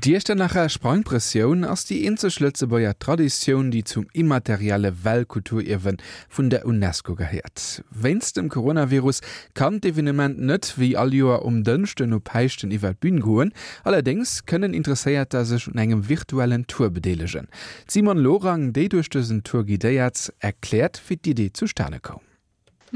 D'Iechternacher Sprangprëssioun ass déi eenzeg Lëtzebuerger Traditioun, déi zum immaterielle Weltkulturierwe vun der UNESCO gehéiert. Wéinst dem Coronavirus kann d'Evenement net wéi all Joer um Dënschden no Päischten iwwer d'Bün goen. Allerdéngs kënnen Interesséierter sech un engem virtuellen Tour bedeelegen. D'Simone Lorang, déi duerch dësen Tour guidéiert, erkläert, wéi d'Idee zustane koum.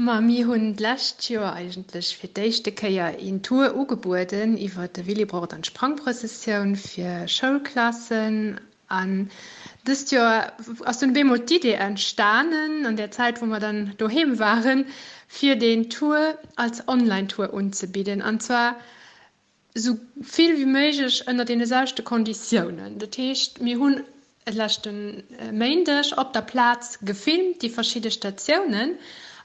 Ma mir hunn d'lescht Joer eigentlech fir d'éischte Kéier een Tour ugebueden iwwer de Willibrord an d'Sprangprëssessioun fir Schoulklassen. An dëst Joer ass dunn op eemol d'Idee entstanen, an där Zäit wou mer dann doheem waren, fir deen Tour als Online-Tour unzebidden. An zwar Esou vill wéi méiglech ënner deene selwechte Konditiounen. Dat heescht, mir hunn e leschte Méindeg op der Plaz gefilmt, déi verschidde Statiounen,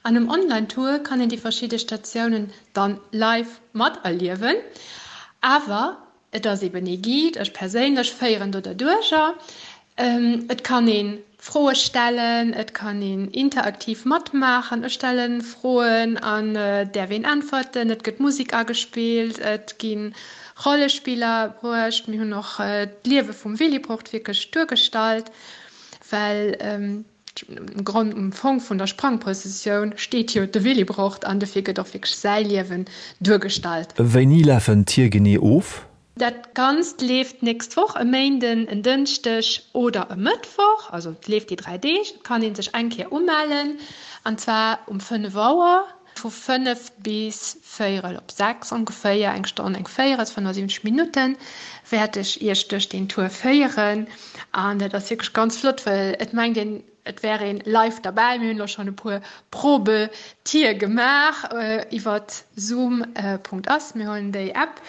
an um Online-Tour kann een déi verschidde Statiounen dann live materliewen. Awer et ass eben ee Guide, ech perséinlech féieren do derduercher. Et kann ee Froe stellen, et kann een interaktiv matmaachen. Ech stelle Froen an et däerf een äntwerten. Et gëtt Musek agespillt, et gi Rollespiller bruecht. Mir hunn och d'Liewe vum Willibrord wierklech duergestallt, well um Grond, um Fong vun der Sprangprëssessioun steet jo de Willibrord an dofir gëtt och wierklech säi Liewen duergestallt. Wéini lafen d'Tier genee of? Dat Ganzt leeft d'nächst Woch, e Méinden, en Dënschdeg oder e Mëttwoch, also et leeft déi 3 Deeg. Et kann ee sech eng Kéier umellen, an zwar um 5 Auer, vu 5 bis véierel op 6 ongeféier, eng Stonn, eng Véierel, 75 Minutten, wäert ech Iech duerch deen Tour féieren. An dat ass wierklech ganz flott, well et mengt een, Et wär een live derbäi. Mir hunn elo schonn e puer Probetier gemaach iwwert Zoom. Ass. Mir hunn déi App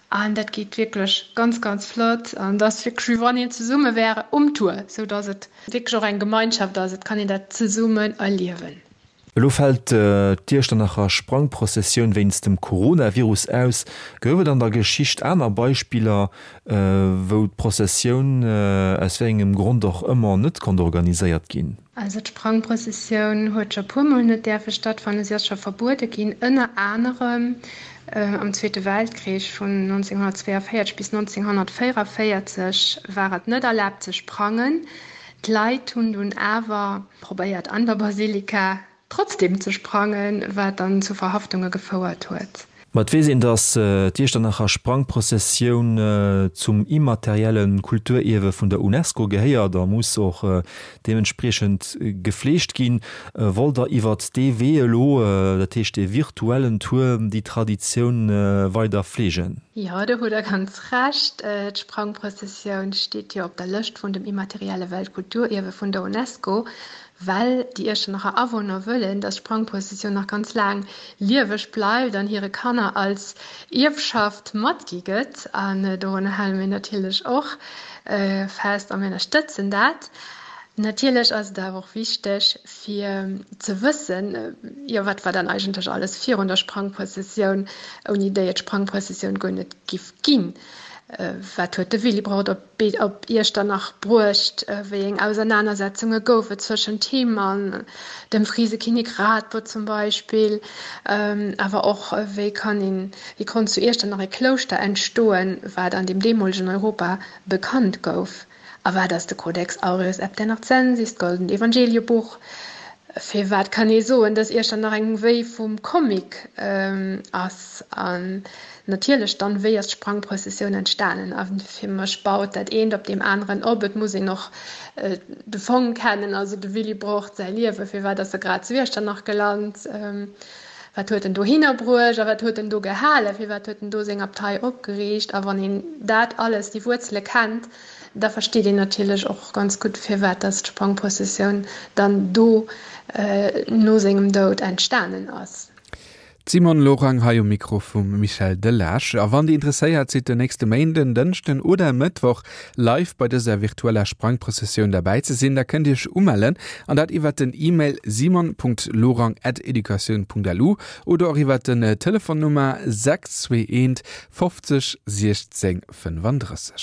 an dat geet wierklech ganz, ganz flott an et ass wierklech wéi wann een zesumme wär um Tour, sou dass et wierklech och eng Gemeinschaft ass. Et kann een dat zesummen erliewen. Elo fält d'Iechternacher Sprangprozessioun wéinst dem Coronavirus aus. Gouf et an der Geschicht aner Beispiller, wou d'Prozessioun aus wéi engem Grond och ëmmer net konnt organiséiert ginn? Also d'Sprangprozessioun huet scho puermol net däerfe stattfannen. Si ass scho verbuede ginn, ënner anerem am Zweete Weltkrich vun 1942 bis 1944 war et net erlaabt ze sprangen. D'Leit hunn dunn awer probéiert an der Basilika trotzdem ze sprangen, wat dann zu Verhaftunge gefouert huet. Ma et weess een, datt d'Iechternacher Sprangprozessioun zum immaterielle Kulturierwe vun der Unesco gehéiert a muss och deementspriechend gefleegt ginn. Wollt Der iwwert dee Wee elo, dat heescht dee virtuellen Tour, déi Traditioun weider fleegen? Jo, do hutt Der ganz Recht. D'Sprangprozessioun steet jo op der Lëscht vun dem immaterielle Weltkulturierwe vun der Unesco, well déi Iechternacher Awunner wëllen, dass d'Sprangprozessioun nach ganz laang lieweg bleift an hire Kanner als Ierfschaft matgi gëtt. An dorunner hale mir natierlech och fest a mir ënnerstëtzen dat. Natierlech ass et awer och wichteg fir ze wëssen, jo wat war dann eigentlech alles virun der Sprangprëssessioun, ouni déi et d'Sprangprëssessioun guer net giff ginn. Wat huet de Willibrord op op Iechternach bruecht? Wéi eng Ausernanersetzunge gouf et zwëschent him an dem Frisekinnek Radbot zum Beispill? Awer och wéi kann een, wéi konnt zu Iechternach e Klouschter entstoen, wat an dem deemolegen Europa bekannt gouf? A wat ass de Codex Aureus Epternacensis, d'Goldent Evangeliebuch? Firwat kann ee soen, dass Iechternach eng Wéi vum Comic ass? An natierlech dann, wéi ass d'Sprangprëssessioun entstanen? A fir mech baut dat eent op deem aneren op. Et muss een och de Fong kennen, also de Willibrord säi Liewen. Firwat ass e grad zu Iechternach gelant? Wat huet en dohinner bruecht a wat huet en do gehalen? Firwat huet en do seng Abtei opgeriicht? A wann een dat alles, déi Wuerzele kennt, da versteet een natierlech och ganz gutt, firwat dass d'Sprangprozessioun dann do no sengem Doud entstanen ass. D'Simone Lorang hei um Mikro vum Michel Delage. A wann Dir interesséiert sidd, den nächste Méinden, Dënschden oder Mëttwoch live bei dëser virtueller Sprangprozessioun derbäi ze sinn, da kënnt Iech umellen an dat iwwert den E-Mail simon.lorang@educatioun.lu oder och iwwert den Telefonnummer 621 50 16 35.